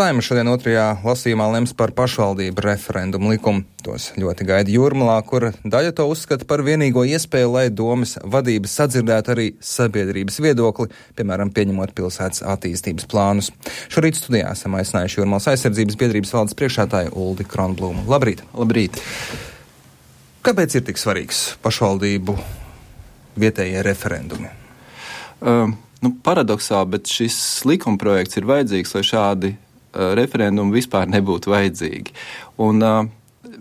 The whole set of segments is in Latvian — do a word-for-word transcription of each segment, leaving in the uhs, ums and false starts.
Saeima šodien otrajā lasījumā lems par pašvaldību referendumu likumu. Tos ļoti gaida Jūrmalā, kur daļa to uzskata par vienīgo iespēju, lai domas vadības sadzirdētu arī sabiedrības viedokli, piemēram, pieņemot pilsētas attīstības plānus. Šorīt studijā esam aicinājuši Jūrmalas aizsardzības biedrības valdes priekšsēdētāju Uldi Kronblūmu. Labrīt! Labrīt! Kāpēc ir tik svarīgs pašvaldību vietējie referendumi? Uh, nu, paradoksāli, bet šis likumprojekts ir vajadzīgs, lai šādi uh, referendumi vispār nebūtu vajadzīgi. Un uh,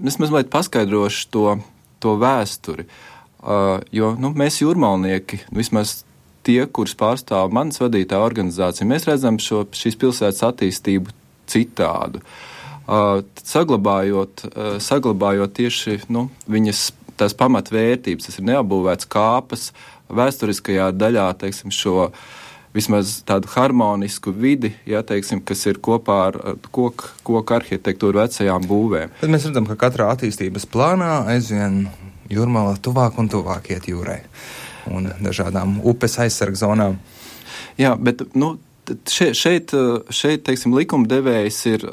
es mazliet paskaidrošu to, to vēsturi, uh, jo nu, mēs jūrmalnieki, vismaz tie, kurus pārstāv manas vadītā organizācija, mēs redzam šo, šīs pilsētas attīstību citādu. Uh, saglabājot, uh, saglabājot tieši nu, viņas tās pamatvērtības, tas ir neapbūvēts kāpas, vēsturiskajā daļā, teiksim, šo vismaz tādu harmonisku vidi, ja, teiksim, kas ir kopā ar koku, koku arhitektūru vecajām būvēm. Tad mēs redzam, ka katrā attīstības plānā aizvien Jūrmala tuvāk un tuvāk iet jūrai un dažādām upes aizsarga zonām. Jā, bet, nu, Šeit, šeit, šeit teiksim, likumdevējs ir,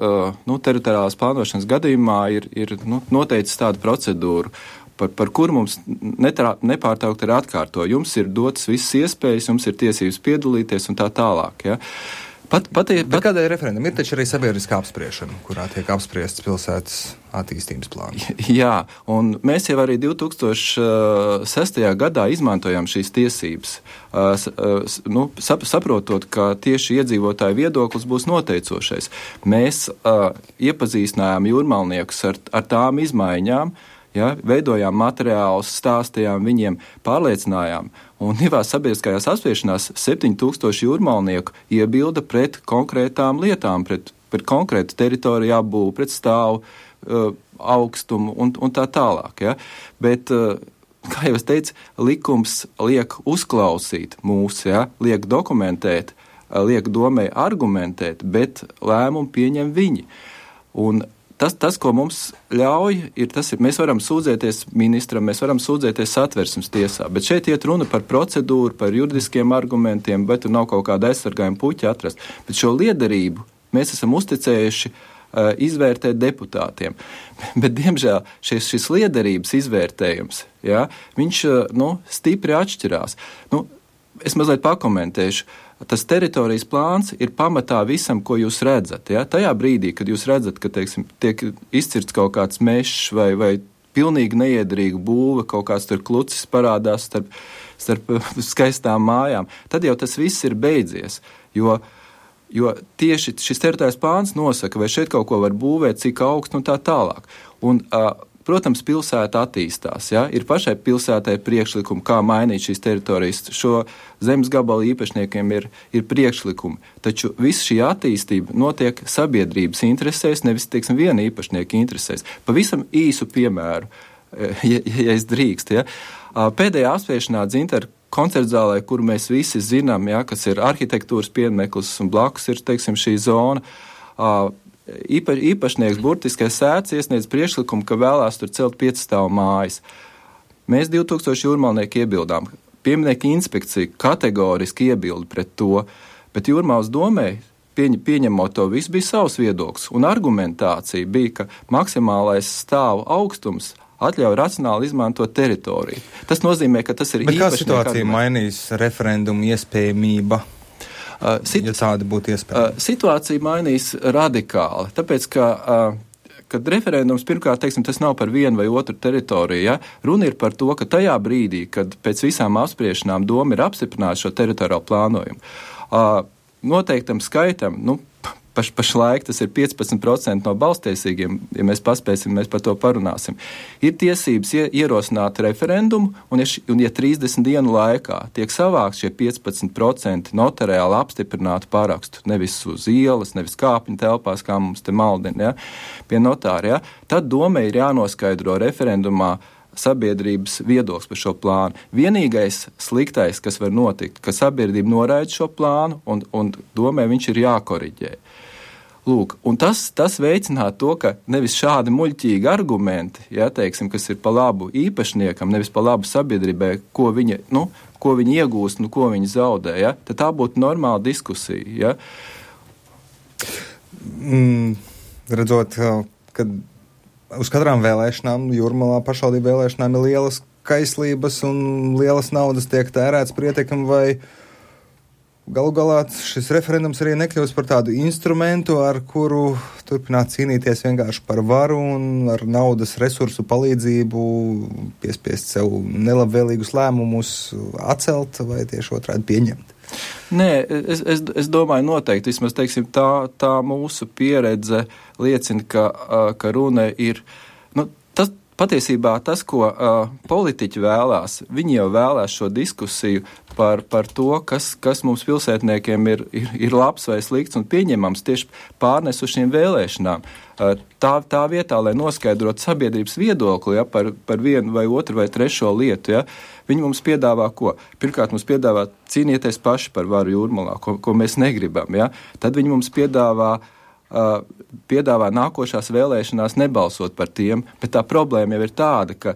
nu, teritoriālās plānošanas gadījumā ir, ir nu, noteicis tādu procedūru, par, par kuru mums netrā, nepārtraukti ir atkārto. Jums ir dotas visas iespējas, jums ir tiesības piedalīties un tā tālāk. Ja. Pat, pat, pat, Bet kādēļ referendum? Ir taču arī sabiedriskā apspriešana, kurā tiek apspriests pilsētas attīstības plāns. Jā, un mēs jau arī divi tūkstoši sestajā gadā izmantojām šīs tiesības, nu, saprotot, ka tieši iedzīvotāju viedoklis būs noteicošais. Mēs uh, iepazīstinājām jūrmalniekus ar, ar tām izmaiņām, ja, veidojām materiālus, stāstījām viņiem, pārliecinājām. Un divās sabiedriskajās apspriešanās septiņi tūkstoši jūrmalnieku iebilda pret konkrētām lietām, pret, pret konkrētu teritoriju apbūvu, pret stāvu, uh, augstumu un, un tā tālāk. Ja. Bet, uh, kā jau es teicu, likums liek uzklausīt mūs, ja, liek dokumentēt, uh, liek domē argumentēt, bet lēmumu pieņem viņi. Un Tas, tas, ko mums ļauj, ir tas, ir, mēs varam sūdzēties ministram, mēs varam sūdzēties Satversmes tiesā, bet šeit iet runa par procedūru, par juridiskiem argumentiem, bet tur nav kaut kāda aizsargājuma puķa atrast. Bet šo liederību mēs esam uzticējuši uh, izvērtēt deputātiem. Bet, diemžēl, šis, šis liederības izvērtējums, ja, viņš uh, nu, stipri atšķirās. Nu, es mazliet pakomentēšu. Tas teritorijas plāns ir pamatā visam, ko jūs redzat. Ja? Tajā brīdī, kad jūs redzat, ka teiksim, tiek izcirts kaut kāds mežs vai, vai pilnīgi neiederīga būve, kaut kāds tur klucis parādās starp, starp skaistām mājām, tad jau tas viss ir beidzies. Jo, jo tieši šis teritorijas plāns nosaka, vai šeit kaut ko var būvēt, cik augstu un tā tālāk. Un, uh, Protams, pilsēta attīstās. Ja? Ir pašai pilsētai priekšlikumi, kā mainīt šīs teritorijas. Šo zemes gabalu īpašniekiem ir, ir priekšlikumi. Taču visa šī attīstība notiek sabiedrības interesēs, nevis, teiksim, viena īpašnieka interesēs. Pavisam īsu piemēru, ja, ja es drīkst. Ja? Pēdējā apspriešanā Dzintaru koncertzālē, kuru mēs visi zinām, ja, kas ir arhitektūras piemineklis un blakus ir, teiksim, šī zona, Īpa, īpašnieks burtiskais sēts iesniedz priekšlikumu, ka vēlās tur celt piecstāvu mājas. Mēs divi tūkstoši jūrmalnieki iebildām. Pieminekļa inspekcija kategoriski iebilda pret to, bet Jūrmalas domē, pieņ, pieņemot to visu, bija savs viedoklis. Un argumentācija bija, ka maksimālais stāvu augstums atļauj racionāli izmantot teritoriju. Tas nozīmē, ka tas ir bet īpašnieka kā situācija arguments. mainīs referendumu iespējamība? Uh, sit, ja tāda būtu iespēja. Uh, situācija mainīs radikāli, tāpēc, ka, uh, kad referendums pirmkārt, teiksim, tas nav par vienu vai otru teritoriju, ja? Runa ir par to, ka tajā brīdī, kad pēc visām apspriešanām doma ir apstiprināta šo teritoriālo plānojumu, uh, noteiktam skaitam, nu, paš, pašlaik tas ir piecpadsmit procenti no balstiesīgiem, ja mēs paspēsim, mēs par to parunāsim, ir tiesības ierosināt referendumu, un ja, un ja trīsdesmit dienu laikā tiek savākt šie piecpadsmit procenti notariāli apstiprinātu parakstu, nevis uz ielas, nevis kāpņu telpās, kā mums te maldina, ja, pie notāra, ja, tad domai ir jānoskaidro referendumā sabiedrības viedoklis par šo plānu. Vienīgais sliktais, kas var notikt, ka sabiedrība noraida šo plānu, un, un domai viņš ir jākoriģē. Lūk, un tas, tas veicinātu to, ka nevis šādi muļķīgi argumenti, ja, teiksim, kas ir pa labu īpašniekam, nevis pa labu sabiedrībai, ko viņi, nu, ko viņi iegūst, nu, ko viņi zaudē, ja, tad tā būtu normāla diskusija. Ja. mm, redzot, ka uz katrām vēlēšanām, Jūrmalā pašvaldību vēlēšanām ir lielas kaislības un lielas naudas tiek tērēts priekam, vai galu galā šis referendums arī nekļūst par tādu instrumentu, ar kuru turpināt cīnīties vienkārši par varu un ar naudas resursu palīdzību piespiest sev nelabvēlīgus lēmumus atcelt vai tieši otrādi pieņemt. Nē, es, es, es domāju noteikti, vismaz teiksim, tā, tā mūsu pieredze liecina, ka, ka runa ir, nu, tas patiesībā tas, ko uh, politiķi vēlās, viņi jau vēlās šo diskusiju par, par to, kas, kas mums pilsētniekiem ir, ir, ir labs vai slikts un pieņemams tieši pārnes uz šīm vēlēšanām. Uh, tā, tā vietā, lai noskaidrotu sabiedrības viedokli, ja, par, par vienu vai otru vai trešo lietu, ja, viņi mums piedāvā ko? Pirmkārt, mums piedāvā cīnieties paši par varu Jūrmalā, ko, ko mēs negribam. Ja? Tad viņi mums piedāvā Uh, piedāvā nākošās vēlēšanās nebalsot par tiem, bet tā problēma jau ir tāda, ka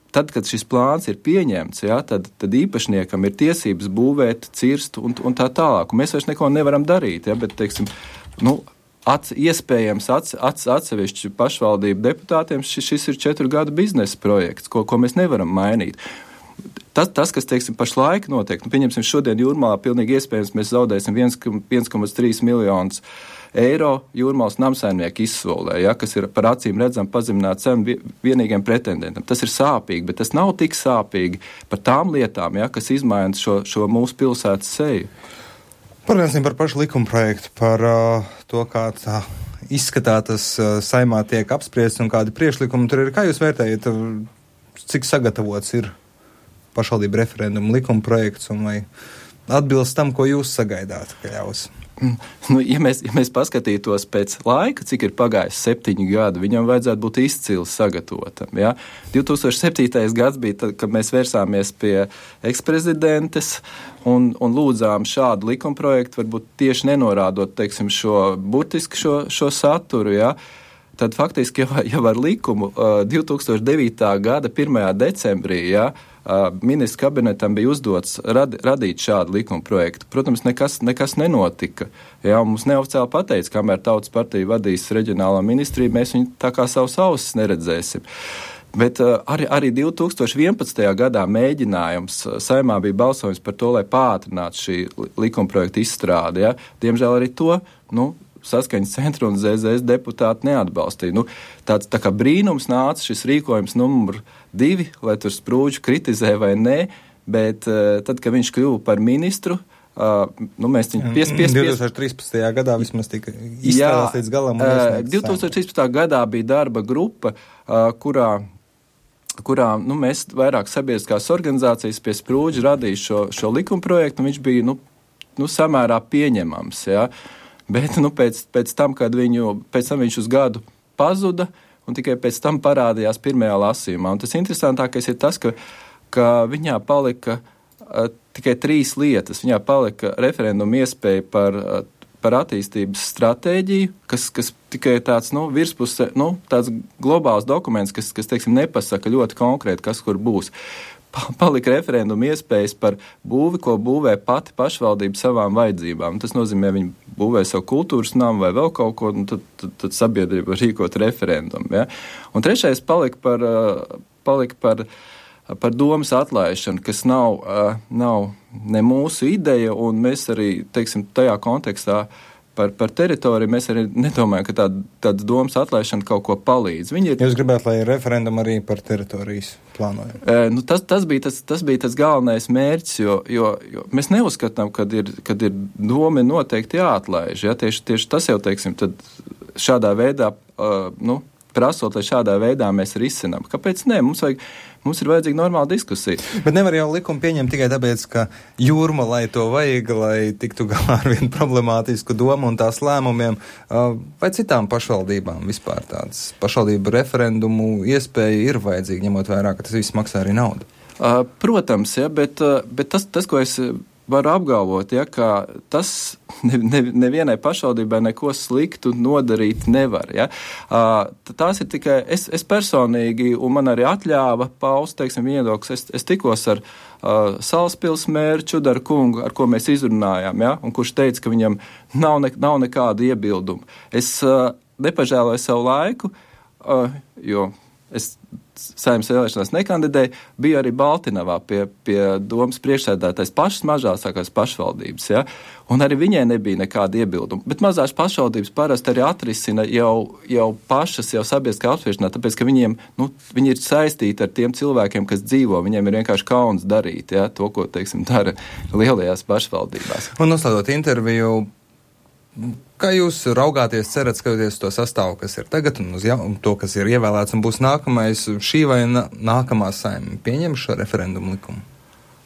tad, kad šis plāns ir pieņemts, ja, tad, tad īpašniekam ir tiesības būvēt, cirst un, un tā tālāk. Un mēs vairs neko nevaram darīt, ja, bet, teiksim, nu, ats, iespējams ats, ats, atsevišķi pašvaldību deputātiem šis, šis ir četru gadu biznesa projekts, ko, ko mēs nevaram mainīt. Tas, tas, kas, teiksim, pašlaik notiek, nu, pieņemsim, šodien Jūrmalā pilnīgi iespējams mēs zaudēsim viens komats trīs miljonus eiro Jūrmalas namsaimnieku izsolē, ja, kas ir par acīm redzam pazemināt cenu vienīgiem pretendentam. Tas ir sāpīgi, bet tas nav tik sāpīgi par tām lietām, ja, kas izmaina šo, šo mūsu pilsētas seju. Parunāsim par pašu likuma projektu, par uh, to, kā tā izskatā tas uh, saimā tiek apspriests un kādi priekšlikumi tur ir. Kā jūs vērtējat, cik sagatavots ir pašvaldību referendumu likuma projekts un vai atbilst tam, ko jūs sagaidāt, ka ļaus? Nu, ja, mēs, ja mēs paskatītos pēc laika, cik ir pagājis septiņi gadi, viņam vajadzētu būt izcili sagatavotam. Ja? divi tūkstoši septītais gads bija tad, kad mēs vērsāmies pie eksprezidentes un, un lūdzām šādu likumprojektu, varbūt tieši nenorādot, teiksim, šo burtiski šo, šo saturu, ja? Tad faktiski jau, jau ar likumu uh, divi tūkstoši devītā gada pirmajā decembrī, ja, Uh, ministra kabinetam bija uzdots rad, radīt šādu likuma projektu. Protams, nekas, nekas nenotika. Jā, mums neoficiāli pateica, kamēr Tautas partija vadīs reģionālā ministriju, mēs viņu tā kā savus ausis neredzēsim. Bet uh, arī, arī divi tūkstoši vienpadsmitajā gadā mēģinājums saimā bija balsojums par to, lai pātrinātu šī likuma projekta izstrādi. Ja? Diemžēl arī to, nu, Saskaņas centra un Z Z S deputāti neatbalstīja. Nu, tāds tā kā brīnums nāca šis rīkojums numur divi, lai tur Sprūdžu kritizē vai nē, bet uh, tad, kad viņš kļuva par ministru, uh, nu, mēs viņu pies, pies, pies... divi tūkstoši trīspadsmitajā gadā vismaz tika izstrādāts līdz galam. Uh, divi tūkstoši trīspadsmitajā gadā bija darba grupa, uh, kurā kurā nu, mēs vairāk sabiedriskās organizācijas pie Sprūdža radīja šo, šo likumprojektu, un viņš bija nu, nu, samērā pieņemams, jā. Bet nu, pēc, pēc, tam, kad viņu, pēc tam viņš uz gadu pazuda, un tikai pēc tam parādījās pirmajā lasījumā. Un tas interesantākais ir tas, ka, ka viņā palika uh, tikai trīs lietas. Viņā palika referenduma iespēja par, uh, par attīstības stratēģiju, kas, kas tikai tāds nu, virspuse, nu, tāds globāls dokuments, kas, kas teiksim, nepasaka ļoti konkrēti, kas kur būs. Palika referenduma iespējas par būvi, ko būvē pati pašvaldība savām vajadzībām. Tas nozīmē, viņi būvē savu kultūras namu vai vēl kaut ko, un tad, tad, tad sabiedrība var rīkot referendumu. Ja? Un trešais palika par, palika par, par domas atlaišanu, kas nav, nav ne mūsu ideja, un mēs arī, teiksim, tajā kontekstā Par, par teritoriju mēs arī nedomājam, ka tāda, tāda domas atlaišana kaut ko palīdz. Viņi ir... Jūs gribētu, lai referendum arī par teritorijas plānojumu? E, nu tas, tas, bija tas, tas bija tas galvenais mērķis, jo, jo, jo mēs neuzskatām, kad ir, kad ir doma noteikti jāatlaiž. Ja? Tieši, tieši tas jau, teiksim, tad šādā veidā, uh, nu, prasot, lai šādā veidā mēs risinām. Kāpēc ne? Mums vajag... Mums ir vajadzīga normāla diskusija. Bet nevar jau likumu pieņemt tikai tāpēc, ka Jūrmalai to vajag, lai tiktu galā ar vienu problemātisku domu un tās lēmumiem, vai citām pašvaldībām vispār tāds pašvaldību referendumu iespēja ir vajadzīga, ņemot vērā, ka tas viss maksā arī naudu. Protams, ja, bet, bet tas, tas, ko es varu apgalvot, ja, ka tas ne, ne, nevienai pašvaldībai neko sliktu nodarīt nevar. Ja. Tās ir tikai, es, es personīgi, un man arī atļāva paust, teiksim, viedoklis, es, es tikos ar uh, Salaspils mēru Čudaru kungu, ar ko mēs izrunājām, ja, un kurš teica, ka viņam nav, ne, nav nekāda iebildumu. Es uh, nepažēloju savu laiku, uh, jo es Saeimas vēlēšanās nekandidēju, biju arī Baltinavā pie, pie domas priekšsēdētājs pašas mazākās pašvaldības, ja? Un arī viņai nebija nekāda iebilduma. Bet mazās pašvaldības parasti arī atrisina jau, jau pašas, jau sabiedriskā apspriešanā, tāpēc, ka viņiem, nu, viņi ir saistīti ar tiem cilvēkiem, kas dzīvo, viņiem ir vienkārši kauns darīt, ja? To, ko, teiksim, dara lielajās pašvaldībās. Un noslēdot interviju, kā jūs raugāties, cerat skatoties to sastāvu, kas ir tagad, un uz jau, to, kas ir ievēlēts un būs nākamais, šī vai na, nākamā Saeima pieņem šo referendumu likumu?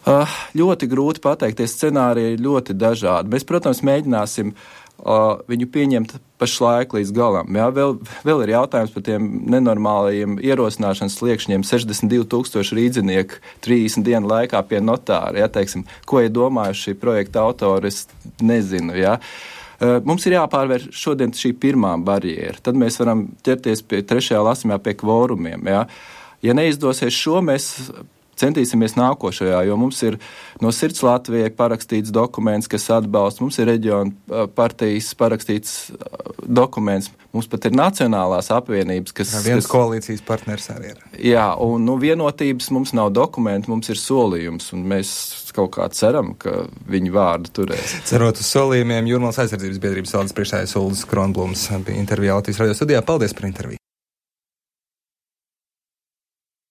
Uh, ļoti grūti pateikt, tie scenāriji ir ļoti dažādi. Mēs, protams, mēģināsim uh, viņu pieņemt pašlaik līdz galam. Jā, vēl, vēl ir jautājums par tiem nenormālajiem ierosināšanas sliekšņiem, sešdesmit divi tūkstoši rīdzinieku trīsdesmit dienu laikā pie notāra. Jā, teiksim, ko ir domājuši šī projekta autori, es nezinu, jā. Mums ir jāpārvar šodien šī pirmā barjēra. Tad mēs varam ķerties pie trešajā lasījumā pie kvorumiem. Ja, ja neizdosies šo, mēs centīsimies nākošajā, jo mums ir no Sirds Latvijai parakstīts dokuments, kas atbalsta, mums ir reģiona partijas parakstīts dokuments, mums pat ir nacionālās apvienības, kas... Jā, viens kas, koalīcijas partners arī ir. Jā, un nu, vienotības mums nav dokumenti, mums ir solījums, un mēs kaut kā ceram, ka viņi vārdu turēs. Cerot uz solījumiem, Jūrmalas aizsardzības biedrības valdes priekšsēdētājs Uldis Kronblums bija intervijā Latvijas radio studijā. Paldies par interviju!